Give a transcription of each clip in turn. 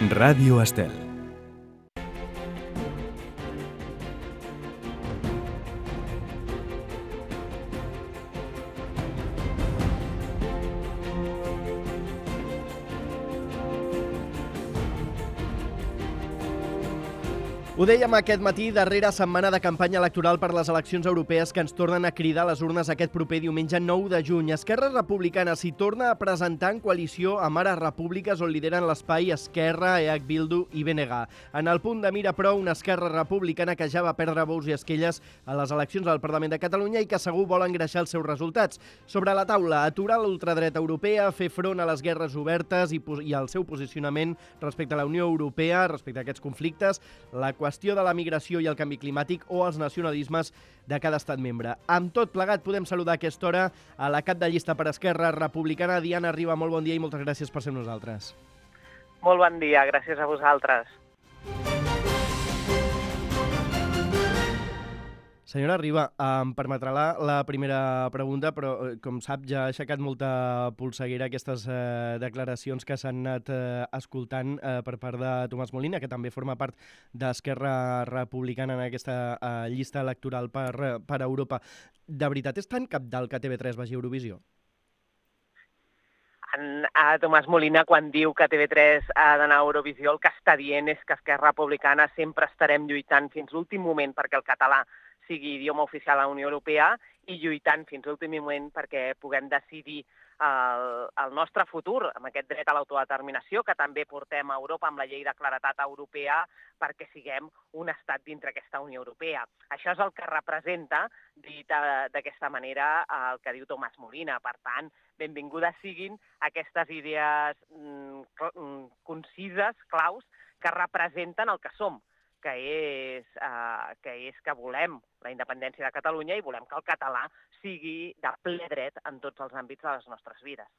Ràdio Estel. Ho dèiem aquest matí, darrera setmana de campanya electoral per les eleccions europees que ens tornen a cridar a les urnes aquest proper diumenge 9 de juny. Esquerra Republicana s'hi torna a presentar en coalició amb Ara Repúbliques, on lideren l'espai Esquerra, EH Bildu i BNG. En el punt de mira, però, una Esquerra Republicana que ja va perdre bous i esquelles a les eleccions al Parlament de Catalunya i que segur vol engreixar els seus resultats. Sobre la taula, aturar l'ultradreta europea, fer front a les guerres obertes i al seu posicionament respecte a la Unió Europea, respecte a aquests conflictes, la qüestió de la migració i el canvi climàtic o els nacionalismes de cada estat membre. Amb tot plegat podem saludar a aquesta hora a la cap de llista per Esquerra Republicana, Diana Riba. Molt bon dia i moltes gràcies per ser amb nosaltres. Molt bon dia, gràcies a vosaltres. Senyora Riba, em permetrà la primera pregunta, però com sap ja ha aixecat molta polseguera aquestes declaracions que s'han anat escoltant per part de Tomàs Molina, que també forma part d'Esquerra Republicana en aquesta llista electoral per Europa. De veritat és tan cabdal que TV3 vagi a Eurovisió? A Tomàs Molina, quan diu que TV3 ha d'anar a Eurovisió, el que està dient és que Esquerra Republicana sempre estarem lluitant fins l'últim moment perquè el català sigui idioma oficial a la Unió Europea i lluitant fins a l'últim moment perquè puguem decidir el nostre futur amb aquest dret a l'autodeterminació que també portem a Europa amb la llei de claredat europea perquè siguem un estat dintre aquesta Unió Europea. Això és el que representa, dit d'aquesta manera, el que diu Tomàs Molina. Per tant, benvingudes siguin aquestes idees concises, claus, que representen el que som, que és que volem la independència de Catalunya i volem que el català sigui de ple dret en tots els àmbits de les nostres vides.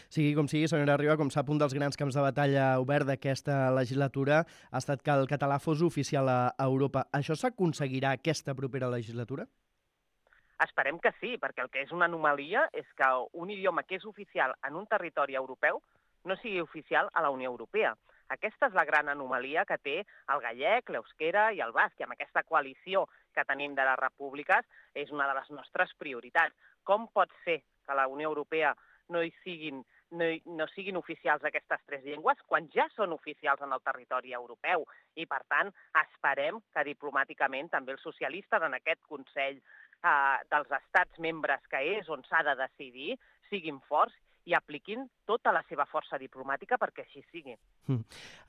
Sigui com sigui, senyora Riba, com sap, un dels grans camps de batalla obert d'aquesta legislatura ha estat que el català fos oficial a Europa. Això s'aconseguirà aquesta propera legislatura? Esperem que sí, perquè el que és una anomalia és que un idioma que és oficial en un territori europeu no sigui oficial a la Unió Europea. Aquesta és la gran anomalia que té el gallec, l'euskera i el basc, i amb aquesta coalició que tenim de les repúbliques és una de les nostres prioritats. Com pot ser que a la Unió Europea no siguin oficials aquestes tres llengües quan ja són oficials en el territori europeu? I, per tant, esperem que diplomàticament també els socialistes en aquest Consell dels Estats membres, que és on s'ha de decidir, siguin forts i apliquin tota la seva força diplomàtica perquè així sigui.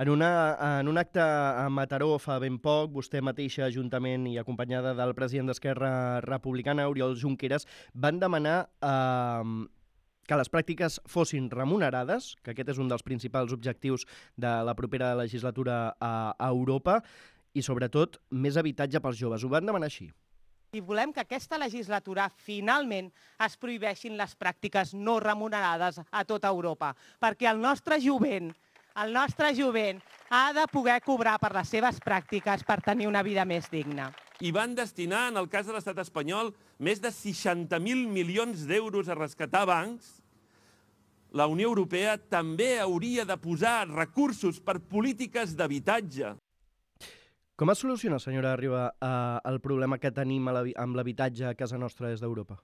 En un acte a Mataró fa ben poc, vostè mateixa, juntament i acompanyada del president d'Esquerra Republicana, Oriol Junqueras, van demanar que les pràctiques fossin remunerades, que aquest és un dels principals objectius de la propera legislatura a Europa, i sobretot més habitatge pels joves. Ho van demanar així. I volem que aquesta legislatura finalment es prohibeixin les pràctiques no remunerades a tota Europa, perquè el nostre jovent ha de poder cobrar per les seves pràctiques per tenir una vida més digna. I van destinar, en el cas de l'estat espanyol, més de 60.000 milions d'euros a rescatar bancs. La Unió Europea també hauria de posar recursos per polítiques d'habitatge. Com es soluciona, senyora Riba, el problema que tenim amb l'habitatge a casa nostra des d'Europa?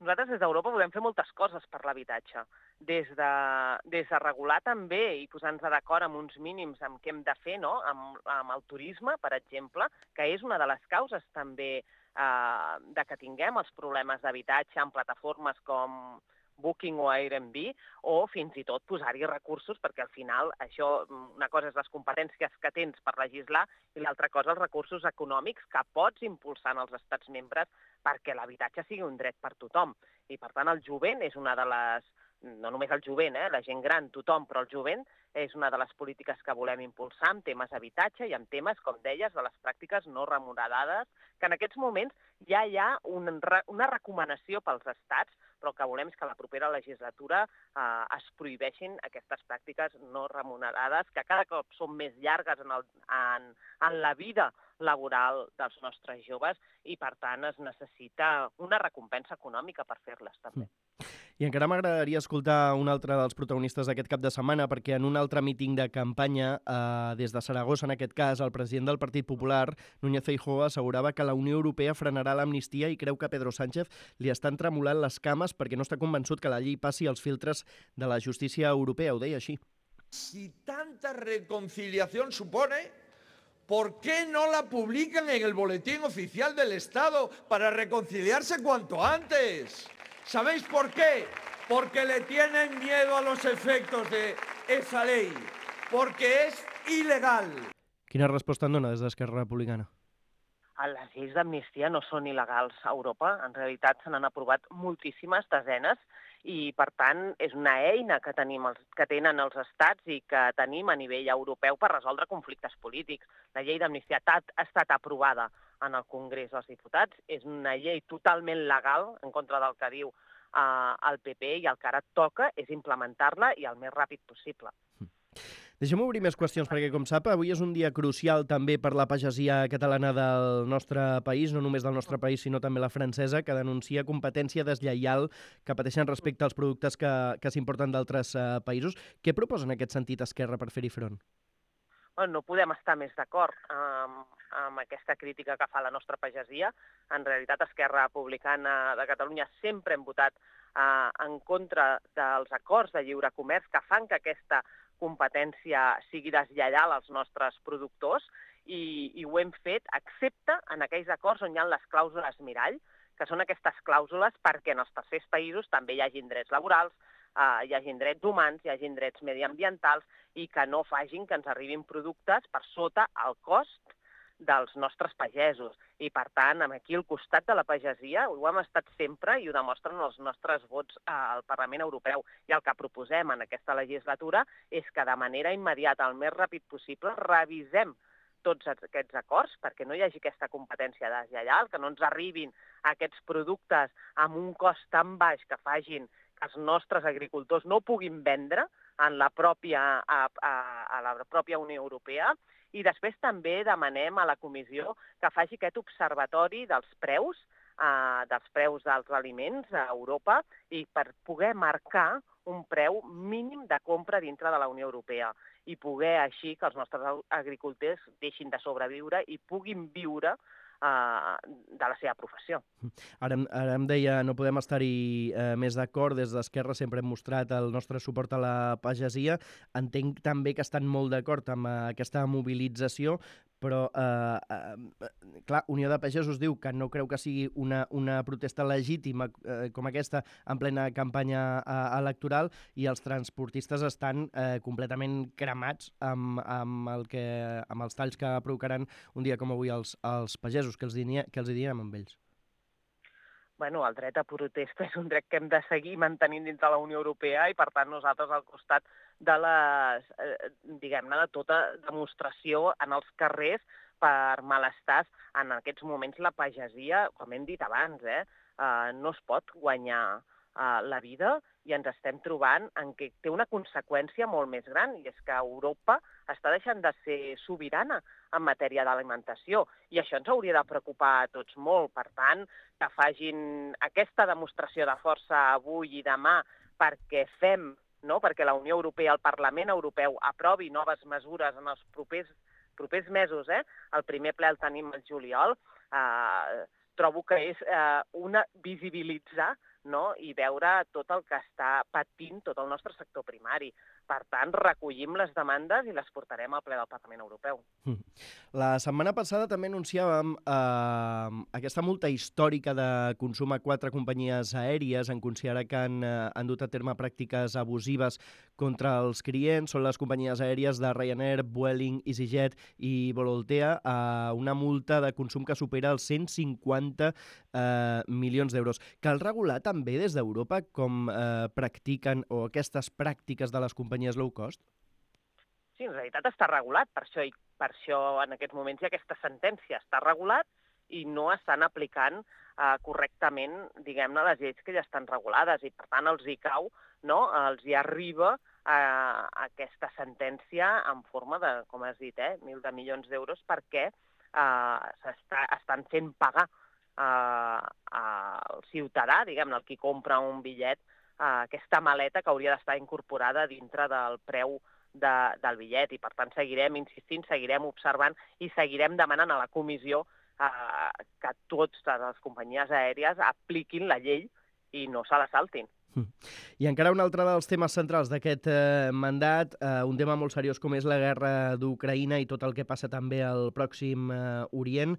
Nosaltres des d'Europa podem fer moltes coses per l'habitatge. Des de regular també i posar-nos d'acord amb uns mínims amb què hem de fer, no? Amb el turisme, per exemple, que és una de les causes també de que tinguem els problemes d'habitatge en plataformes com Booking o Airbnb, o fins i tot posar-hi recursos, perquè al final això, una cosa és les competències que tens per legislar i l'altra cosa els recursos econòmics que pots impulsar en els estats membres perquè l'habitatge sigui un dret per tothom. I per tant el jovent és una de les, no només el jovent, la gent gran, tothom, però el jovent és una de les polítiques que volem impulsar en temes d'habitatge i en temes, com deies, de les pràctiques no remunerades, que en aquests moments ja hi ha una recomanació pels estats, però el que volem és que a la propera legislatura es prohibeixin aquestes pràctiques no remunerades, que cada cop són més llargues en la vida laboral dels nostres joves i, per tant, es necessita una recompensa econòmica per fer-les, també. I encara m'agradaria escoltar un altre dels protagonistes d'aquest cap de setmana, perquè en un altre míting de campanya, des de Saragossa, en aquest cas, el president del Partit Popular, Núñez Feijóo, assegurava que la Unió Europea frenarà l'amnistia i creu que Pedro Sánchez li estan tremolant les cames perquè no està convençut que la llei passi els filtres de la justícia europea. Ho deia així. Si tanta reconciliación supone, ¿por qué no la publican en el Boletín Oficial del Estado para reconciliarse cuanto antes? ¿Sabéis por qué? Porque le tienen miedo a los efectos de esa ley, porque es ilegal. Quina resposta en dona des d'Esquerra Republicana? Les lleis d'amnistia no són il·legals a Europa. En realitat se n'han aprovat moltíssimes, desenes, i per tant és una eina que tenen els estats i que tenim a nivell europeu per resoldre conflictes polítics. La llei d'amnistia ha estat aprovada en el Congrés dels Diputats, és una llei totalment legal en contra del que diu el PP i el que ara toca és implementar-la i el més ràpid possible. Deixem obrir més qüestions, perquè, com sap, avui és un dia crucial també per la pagesia catalana del nostre país, no només del nostre país, sinó també la francesa, que denuncia competència deslleial que pateixen respecte als productes que s'importen d'altres països. Què proposa en aquest sentit Esquerra per fer-hi front? No podem estar més d'acord amb aquesta crítica que fa la nostra pagesia. En realitat, Esquerra Republicana de Catalunya sempre hem votat en contra dels acords de lliure comerç que fan que aquesta competència sigui deslleial als nostres productors i ho hem fet excepte en aquells acords on hi ha les clàusules mirall, que són aquestes clàusules perquè en els tercers països també hi hagin drets laborals, hi hagin drets humans, hi hagin drets mediambientals i que no facin que ens arribin productes per sota el cost dels nostres pagesos. I, per tant, aquí al costat de la pagesia ho hem estat sempre i ho demostren els nostres vots al Parlament Europeu. I el que proposem en aquesta legislatura és que de manera immediata, el més ràpid possible, revisem tots aquests acords perquè no hi hagi aquesta competència deslleial, que no ens arribin aquests productes amb un cost tan baix que facin que els nostres agricultors no puguin vendre a la pròpia Unió Europea. I després també demanem a la Comissió que faci aquest observatori dels preus dels aliments a Europa i per poder marcar un preu mínim de compra dintre de la Unió Europea i poder així que els nostres agricultors deixin de sobreviure i puguin viure de la seva professió. Ara em deia, no podem estar-hi més d'acord, des d'Esquerra sempre hem mostrat el nostre suport a la pagesia. Entenc també que estan molt d'acord amb aquesta mobilització, però, clar, Unió de Pagesos diu que no creu que sigui una protesta legítima com aquesta en plena campanya electoral i els transportistes estan completament cremats amb els talls que provocaran un dia com avui als pagesos. Què els direm amb ells? El dret a protesta és un dret que hem de seguir mantenint dins de la Unió Europea i, per tant, nosaltres al costat de de tota demostració en els carrers per malestars. En aquests moments la pagesia, com hem dit abans, no es pot guanyar la vida i ens estem trobant en què té una conseqüència molt més gran i és que Europa està deixant de ser sobirana en matèria d'alimentació i això ens hauria de preocupar a tots molt. Per tant, que facin aquesta demostració de força avui i demà perquè perquè la Unió Europea, el Parlament Europeu, aprovi noves mesures en els propers mesos. El primer ple el tenim al juliol. Trobo que és visibilitzar i veure tot el que està patint tot el nostre sector primari. Per tant, recollim les demandes i les portarem al ple del Parlament Europeu. La setmana passada també anunciàvem aquesta multa històrica de consum a 4 companyies aèries en considerar que han dut a terme pràctiques abusives contra els clients. Són les companyies aèries de Ryanair, Vueling, EasyJet i Volotea, una multa de consum que supera els 150 milions d'euros. Cal regular també des d'Europa com practiquen o aquestes pràctiques de les companyies low cost? Sí, en realitat està regulat, per això en aquests moments hi ha aquesta sentència. Està regulat i no estan aplicant correctament, diguem-ne, les lleis que ja estan regulades i, per tant, els hi cau, els hi arriba aquesta sentència en forma de, com has dit, 1.000 milions d'euros perquè estan fent pagar al ciutadà, diguem-ne, el qui compra un bitllet aquesta maleta que hauria d'estar incorporada dintre del preu del bitllet. I, per tant, seguirem insistint, seguirem observant i seguirem demanant a la comissió que totes les companyies aèries apliquin la llei i no se la saltin. I encara un altre dels temes centrals d'aquest mandat, un tema molt seriós com és la guerra d'Ucraïna i tot el que passa també al Pròxim Orient.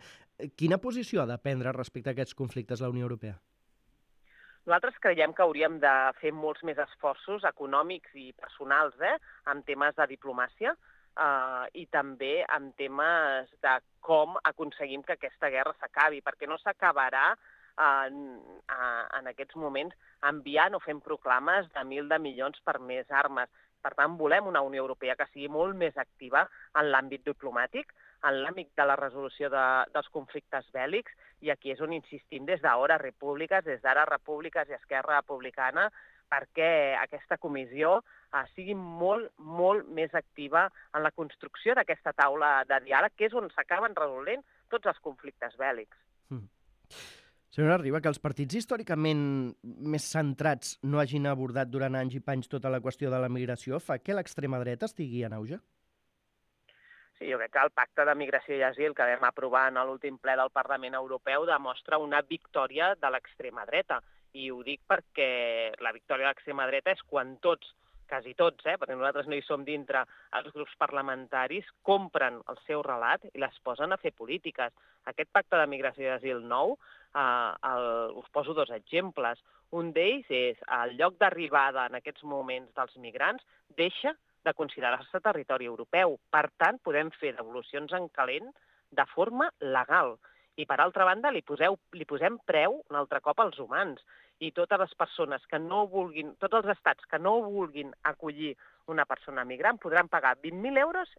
Quina posició ha de prendre respecte a aquests conflictes la Unió Europea? Nosaltres creiem que hauríem de fer molts més esforços econòmics i personals en temes de diplomàcia i també en temes de com aconseguim que aquesta guerra s'acabi, perquè no s'acabarà en aquests moments enviant o fent proclames de 1.000 de milions per més armes. Per tant, volem una Unió Europea que sigui molt més activa en l'àmbit diplomàtic, en l'àmbit de la resolució dels conflictes bèl·lics, i aquí és on insistim des d'ara repúbliques i Esquerra Republicana, perquè aquesta comissió sigui molt, molt més activa en la construcció d'aquesta taula de diàleg, que és on s'acaben resolent tots els conflictes bèl·lics. Senyora Riba, que els partits històricament més centrats no hagin abordat durant anys i panys tota la qüestió de la migració fa que l'extrema dreta estigui en auge? Sí, jo crec que el pacte de migració i asil que vam aprovar en l'últim ple del Parlament Europeu demostra una victòria de l'extrema dreta. I ho dic perquè la victòria de l'extrema dreta és quan tots, quasi tots, perquè nosaltres no hi som dintre, els grups parlamentaris compren el seu relat i les posen a fer polítiques. Aquest pacte de migració i asil nou, us poso dos exemples. Un d'ells és el lloc d'arribada en aquests moments dels migrants deixa de considerar-se territori europeu. Per tant, podem fer devolucions en calent de forma legal. I, per altra banda, li posem preu un altre cop als humans. I totes les persones que no vulguin, tots els estats que no vulguin acollir una persona migrant podran pagar 20.000 euros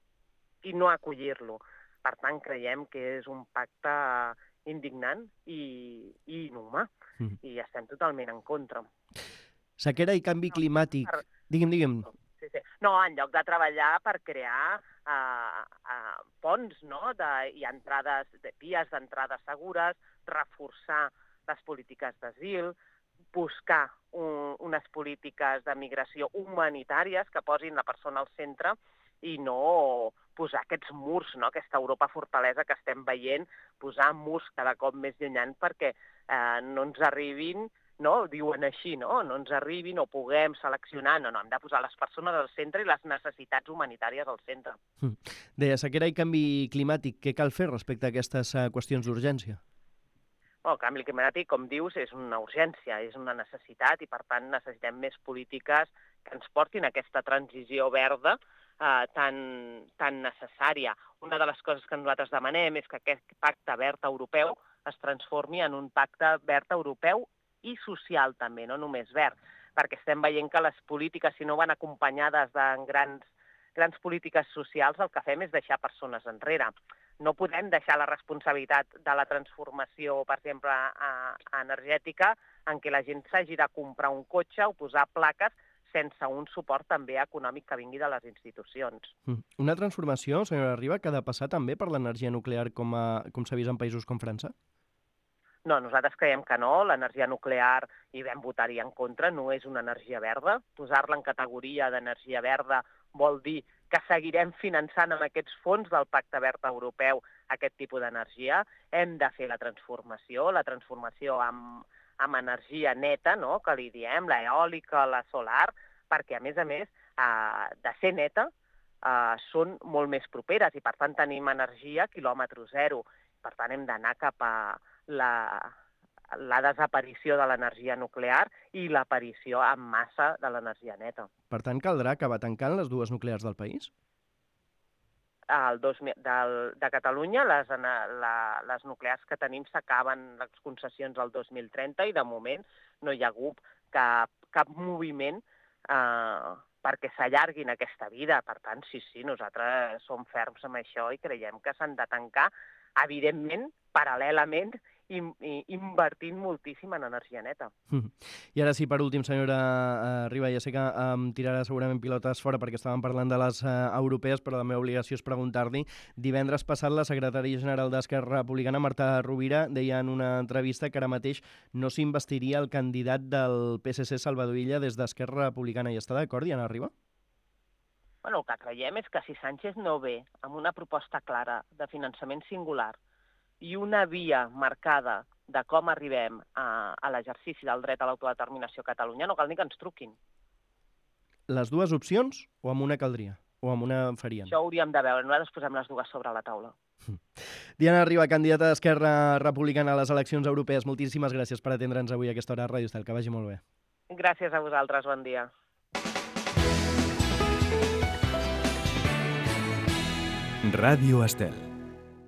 i no acollir-lo. Per tant, creiem que és un pacte indignant i inhumà. I estem totalment en contra. Sequera i canvi climàtic. Digue'm. Sí. No, en lloc de treballar per crear ponts, i entrades, vies d'entrada segures, reforçar les polítiques d'asil, buscar unes polítiques de migració humanitàries que posin la persona al centre i no posar aquests murs, aquesta Europa fortalesa que estem veient, posar murs cada cop més llunyans perquè no ens arribin, diuen així, no ens arribin o puguem seleccionar. No, hem de posar les persones al centre i les necessitats humanitàries al centre. Deia, sequera i canvi climàtic, què cal fer respecte a aquestes qüestions d'urgència? El canvi climàtic, com dius, és una urgència, és una necessitat i, per tant, necessitem més polítiques que ens portin a aquesta transició verda tan necessària. Una de les coses que nosaltres demanem és que aquest pacte verd europeu es transformi en un pacte verd europeu i social també, no només verd, perquè estem veient que les polítiques, si no van acompanyades de grans polítiques socials, el que fem és deixar persones enrere. No podem deixar la responsabilitat de la transformació, per exemple, energètica, en què la gent s'hagi de comprar un cotxe o posar plaques sense un suport també econòmic que vingui de les institucions. Una transformació, senyora Riba, que ha de passar també per l'energia nuclear com s'ha vist en països com França? No, nosaltres creiem que no. L'energia nuclear, i vam votar-hi en contra, no és una energia verda. Posar-la en categoria d'energia verda vol dir que seguirem finançant amb aquests fons del Pacte Verd Europeu aquest tipus d'energia. Hem de fer la transformació amb energia neta, que li diem, l'eòlica, la solar, perquè, a més, de ser neta, són molt més properes i, per tant, tenim energia quilòmetre zero. Per tant, hem d'anar cap a la desaparició de l'energia nuclear i l'aparició en massa de l'energia neta. Per tant, caldrà acabar tancant les dues nuclears del país? De Catalunya, les nuclears que tenim s'acaben les concessions el 2030 i, de moment, no hi ha hagut cap moviment perquè s'allarguin aquesta vida. Per tant, sí, nosaltres som ferms amb això i creiem que s'han de tancar, evidentment, paral·lelament invertint moltíssim en energia neta. I ara sí, per últim, senyora Riba, ja sé que em tirarà segurament pilotes fora perquè estàvem parlant de les europees, però la meva obligació és preguntar-li. Divendres passat, la secretària general d'Esquerra Republicana, Marta Rovira, deia en una entrevista que ara mateix no s'investiria el candidat del PSC, Salvador Illa, des d'Esquerra Republicana. Hi està d'acord, Diana Riba? Bueno, el que creiem és que si Sánchez no ve amb una proposta clara de finançament singular i una via marcada de com arribem a l'exercici del dret a l'autodeterminació a Catalunya, no cal ni que ens truquin. Les dues opcions o amb una caldria? O amb una farien? Això ho hauríem de veure. Nosaltres posem les dues sobre la taula. Diana Riba, candidata d'Esquerra Republicana a les eleccions europees. Moltíssimes gràcies per atendre'ns avui a aquesta hora a Ràdio Estel. Que vagi molt bé. Gràcies a vosaltres. Bon dia. Ràdio Estel.